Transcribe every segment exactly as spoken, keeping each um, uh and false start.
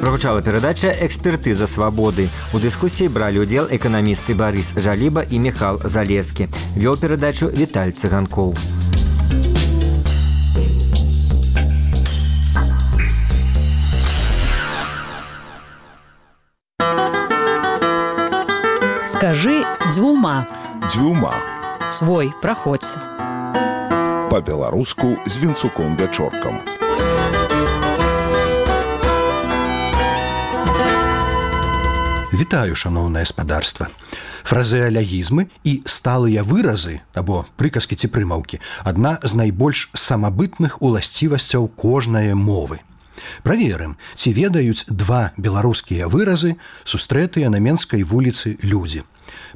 Прагучала перадача «Экспертыза свабоды». У дыскусіі бралі ўдзел эканамісты Барыс Жаліба і Міхал Залескі. Вёў перадачу Віталь Цыганкоў. Скажи дзвюма. Дзвюма. Свой, праходзь. Па-беларуску з Вінцуком-Вячоркам. Вітаю, шаноўнае спадарства. Фразеалягізмы і сталыя выразы, або прыказкі ці прымаўкі, адна з найбольш самабытных уласцівасцяў кожнае мовы. Праверым, ці ведаюць два беларускія выразы, сустрэтыя на Менскай вуліцы людзі.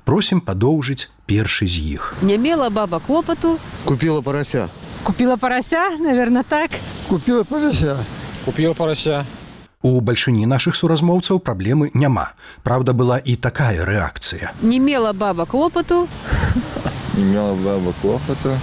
Просім падоўжыць першы з іх. Не мела баба клопату. Купила порося. Купила порося, наверное, так. Купила порося. Купила порося. У бальшыні нашых суразмоўцаў праблемы няма. Праўда, была і такая рэакцыя. Не мела баба клопату. Не мела баба клопату.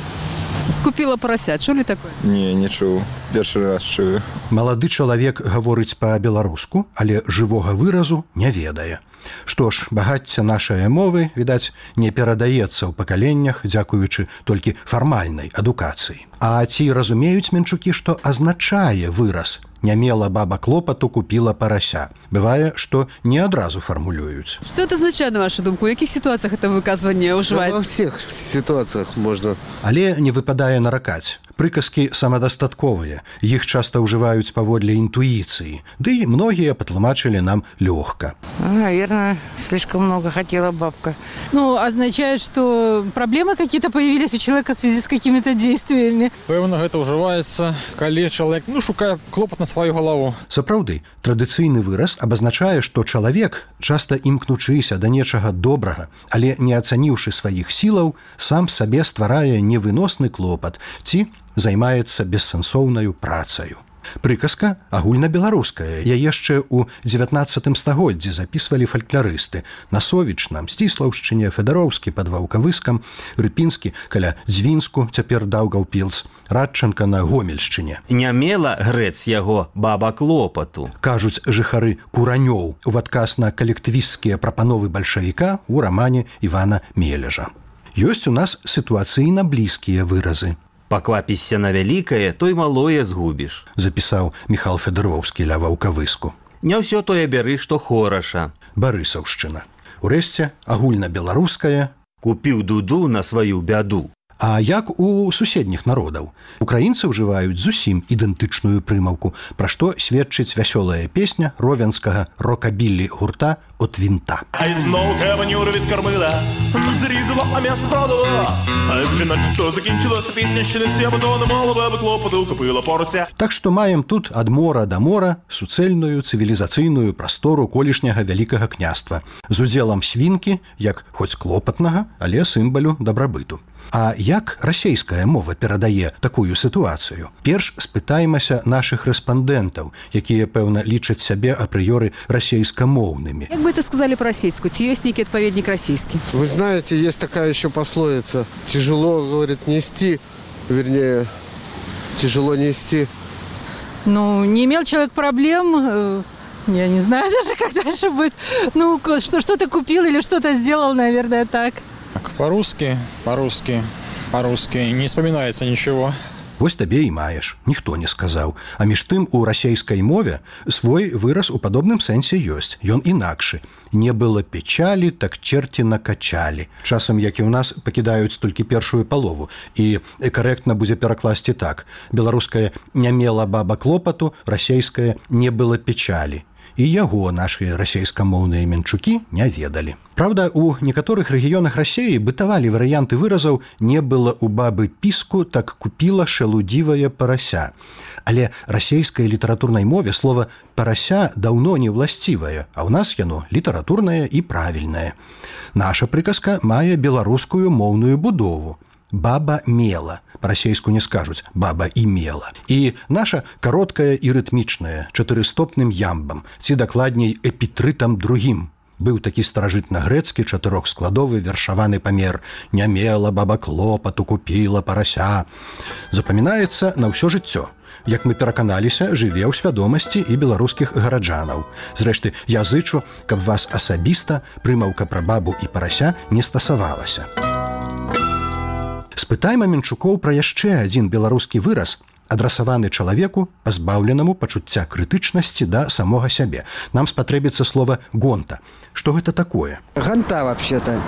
Купила порося. Чули такое? Не, не чуў. Першы раз чую. Малады чалавек гаворыць па-беларуску, але жывога выразу не ведае. Што ж, багацце нашай мовы, відаць, не перадаецца ў пакаленнях, дзякуючы толькі фармальнай адукацыі. А ці разумеюць менчукі, што азначае выраз «не мела баба клопату, купила порося»? Бывае, што не адразу фармулююць. Что это означает, на вашу думку? У якіх ситуациях это выказванне ўжываецца? Во всех ситуациях можно. Але не выпадае наракаць. Прыказкі самадастатковыя, іх часта ўжываюць паводле інтуіцыі, ды і многія патлумачылі нам лёгка. Наверное, слишком много хотела бабка. Ну, означает, что проблемы какие-то появились у человека в связи с какими-то действиями. Пэўна, гэта ўжываецца, калі чалавек, ну, шукае клопат на сваю галаву. Сапраўды, традыцыйны выраз абазначае, што чалавек, часта імкнучыся да нечага добрага, але не ацаніўшы сваіх сілаў, сам сабе стварае невыносны клопат ці займаецца бессэнсоўнаю працаю. Прыказка агульнабеларуская. Я яшчэ ў дзевятнаццатым стагоддзі запісвалі фалькларысты. На Совічна, Сціслаўшчыне, Федароўскі пад Ваўкавыскам, Рыпінскі каля Дзвінску, цяпер Даўгаўпілс, Радчанка на Гомельшчыне. Не мела грэц яго баба клопату. Кажуць жыхары Куранёў у адказ на калектывісцкія прапановы бальшавіка ў рамане Івана Мележа. Ёсць у нас сітуацыйна блізкія выразы. Паквапішся на вялікае, той малое згубіш. Запісаў Міхал Федаровскі ля Ваўкавыску. Не ўсё тое бяры, што хораша. Барысаўшчына. Урэшце, агульнабеларуская. Купіў дуду на сваю бяду. А як у суседніх народаў? Украінцы ўжываюць зусім ідэнтычную прымаўку, пра што сведчыць вясёлая песня ровенскага рокабіллі гурта «От вінта». А знову треба Нюра відкормила, зрізала, а м'ясо продала. А вже наче то закінчилася пісня, ще не всі, бо то не мало баба клопоту, купила порося. Так што маем тут ад мора да мора суцэльную цывілізацыйную прастору колішняга вялікага княства з удзелам свінкі, як хоць клопатнага, але сімвалю дабрабыту. А як расейская мова перадае такую сітуацыю? Перш спытаемся нашых рэспандэнтаў, якія, пэўна, лічаць сябе апрыёры расейскамоўнымі. Як бы это сказали по-российски? Ці ёсць нейкі адпаведнік расійскі? Вы знаете, есть такая еще пословица. Тяжело, говорит, нести, вернее, тяжело нести. Ну, не имел человек проблем, я не знаю даже, как дальше будет. Ну, что, что-то купил или что-то сделал, наверное, так. Так, по-русски, по-русски, по-русски не вспоминается ничего. Вось табе і маеш, ніхто не сказаў. А між тым у расейскай мове свой выраз у падобным сэнсе ёсць. Ён інакшы. Не было печалі, так черти накачалі. Часам, як і ў нас, пакідаюць толькі першую палову. І карэктна будзе перакласці так. Беларускае «не мела баба клопату», расейскае «не было печалі». І яго нашыя расейскамоўныя менчукі не ведалі. Праўда, у некаторых рэгіёнах Расеі бытавалі варыянты выразаў «не было у бабы піску, так купіла шалудзівая парася». Але расейскай літаратурнай мове слова «парася» даўно не ўласцівае, а ў нас яно літаратурнае і правільнае. Наша прыказка мае беларускую моўную будову. Баба мела. Па-расейску не скажуць «баба імела». І наша кароткая і рытмічная, чатырыстопным ямбам, ці дакладней эпітрытам другім. Быў такі старажытна-грэцкі чатырохскладовы вершаваны памер «не мела баба клопату, купіла парася». Запамінаецца на ўсё жыццё. як мы пераканаліся, жыве ў свядомасці і беларускіх гараджанаў. Зрэшты, я зычу, каб вас асабіста прымаўка пра бабу і парася не стасавалася. Спытайма Менчукоў пра яшчэ адзін беларускі выраз, адрасаваны чалавеку, пазбаўленаму пачуцця крытычнасці да самога сябе. Нам спатрэбіцца слова «гонта». Что гэта такое? Гонта, вообще-то,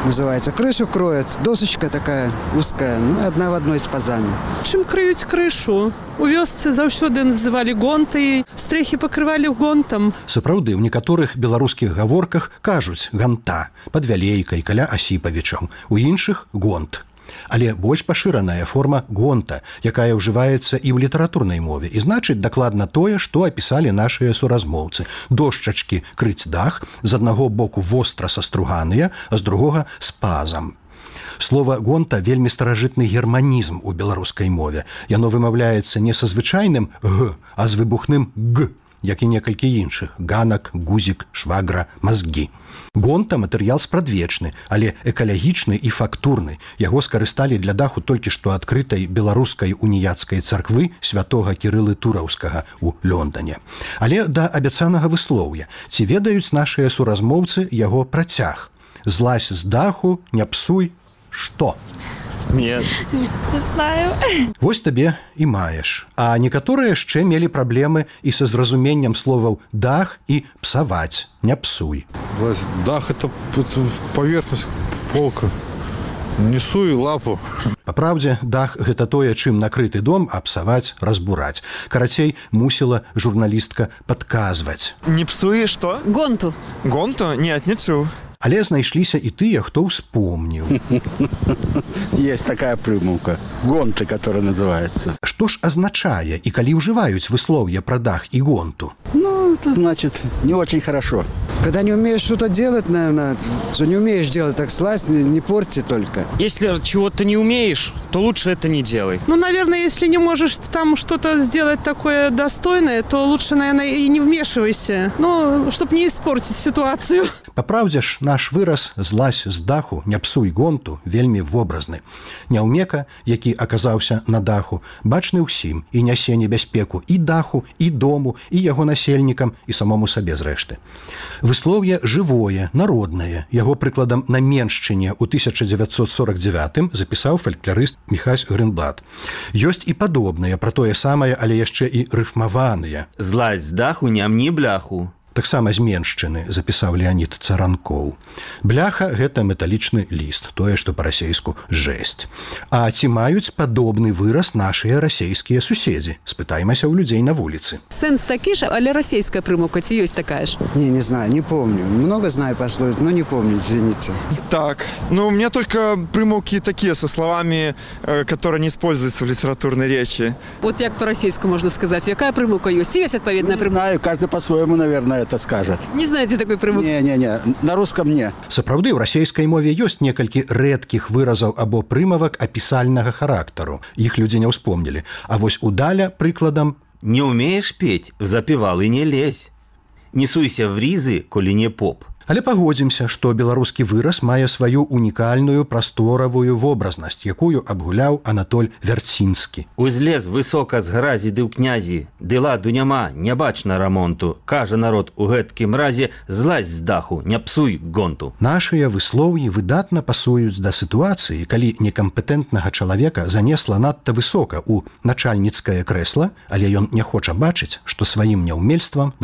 называется. Крышу кроет, досочка такая узкая, ну, одна в одной с пазами. Чым крыюць крышу? У вёсцы заўсёды называлі гонтай, стрэхі пакрывалі гонтам. Сапраўды, у некаторых беларускіх гаворках кажуць «ганта» пад Вялейкай, каля Асіпавічаў, у іншых «гонт». Але больш пашыраная форма гонта, якая ўжываецца і ў літаратурнай мове, і значыць дакладна тое, што апісалі нашыя суразмоўцы. Дошчачкі крыць дах, з аднаго боку востра саструганыя, а з другога з пазам. Слова «гонта» вельмі старажытны германізм у беларускай мове. Яно вымаўляецца не са звычайным «г», а з выбухным «г», як і некалькі іншых – ганак, гузік, швагра, мазгі. Гонта – матэрыял спрадвечны, але экалагічны і фактурны. Яго скарысталі для даху толькі што адкрытай беларускай уніяцкай царквы святога Кірылы Тураўскага ў Лондане. Але да абяцанага выслоўя. Ці ведаюць нашыя суразмоўцы яго працяг? Злазь з даху, не псуй, што? Нет. Не знаю. Вось табе і маеш. А некаторыя яшчэ мелі праблемы і са зразуменнем словаў «дах» і «псаваць», «не псуй». Дах – это поверхность, полка. Не суй лапу. Па праўдзе, дах – гэта тое, чым накрыты дом, а псаваць – разбураць. Карацей, мусіла журналістка падказваць. Не псуй, што? Гонту. Гонту? Нет, не чуў. Але знайшліся і тыя, хто ўспомніў. Есть такая прымаўка. Гонты, которая называется. Што ж азначае і калі ўжываюць выслоўе пра дах і гонту? Ну, это значит, не очень хорошо. Когда не умеешь что-то делать, наверное, что не умеешь делать, так слазь, не, не порти только. Если чего-то не умеешь, то лучше это не делай. Ну, наверное, если не можешь там что-то сделать такое достойное, то лучше, наверное, и не вмешивайся. Ну, чтобы не испортить ситуацию. Па праўдзе ж, наш выраз «злазь з даху, не псуй гонту» вельмі вобразны. Няўмека, які аказаўся на даху, бачны ўсім і нясе небяспеку і даху, і дому, і яго насельнікам, і самому сабе зрэшты. Выслоўе жывое, народнае. Яго прыкладам на Меншчыне ў тысяча дзевяцьсот сорок девятым запісаў фалькларыст Міхась Грынблат. Ёсць і падобныя, пра тое самае, але яшчэ і рыфмаваныя. «Злазь з даху, не амні бляху». Таксама з Меншчыны запісаў Леонід Царанкоў. Бляха – гэта металічны ліст, тое, што па-расейску жэсць. А ці маюць падобны выраз нашыя расейскія суседзі? Спытаймася ў людзей на вуліцы. Сэнс такі ж, але расейская прымаўка ці ёсць такая ж? Не, не знаю, не помню. Много знаю пословиц, но не помню, извините. Так, ну у меня только примовки такие со словами, которые не используются в литературной речи. Вот як по-расейску можно сказать, якая прымаўка ёсць? Ці ёсць адпаведная прымаўка? Не знаю, каждый по-своему, наверное, это скажет. Не знаете такой прымаўкі? Не-не-не, на русском не. Сапраўды, ў расейскай мове ёсць некалькі рэдкіх выразаў або прымавак апісальнага характару. Іх людзі не ўспомнілі. А вось удаля прыкладам «Не умеешь петь, запевал и не лезь. Не суйся в ризы, коли не поп». Але пагодзімся, што беларускі выраз мае сваю унікальную прасторавую вобразнасць, якую абгуляў Анатоль Вярцінскі. «Узлез высока з гразі ды ў князі, ды ладу няма, не бачна рамонту. Кажа народ у гэткім разе, злазь з даху, не псуй гонту». Нашыя выслоўі выдатна пасуюць да сітуацыі, калі некампетэнтнага чалавека занесла надта высока ў начальніцкае крэсла, але ён не хоча бачыць, што сваім няўмельствам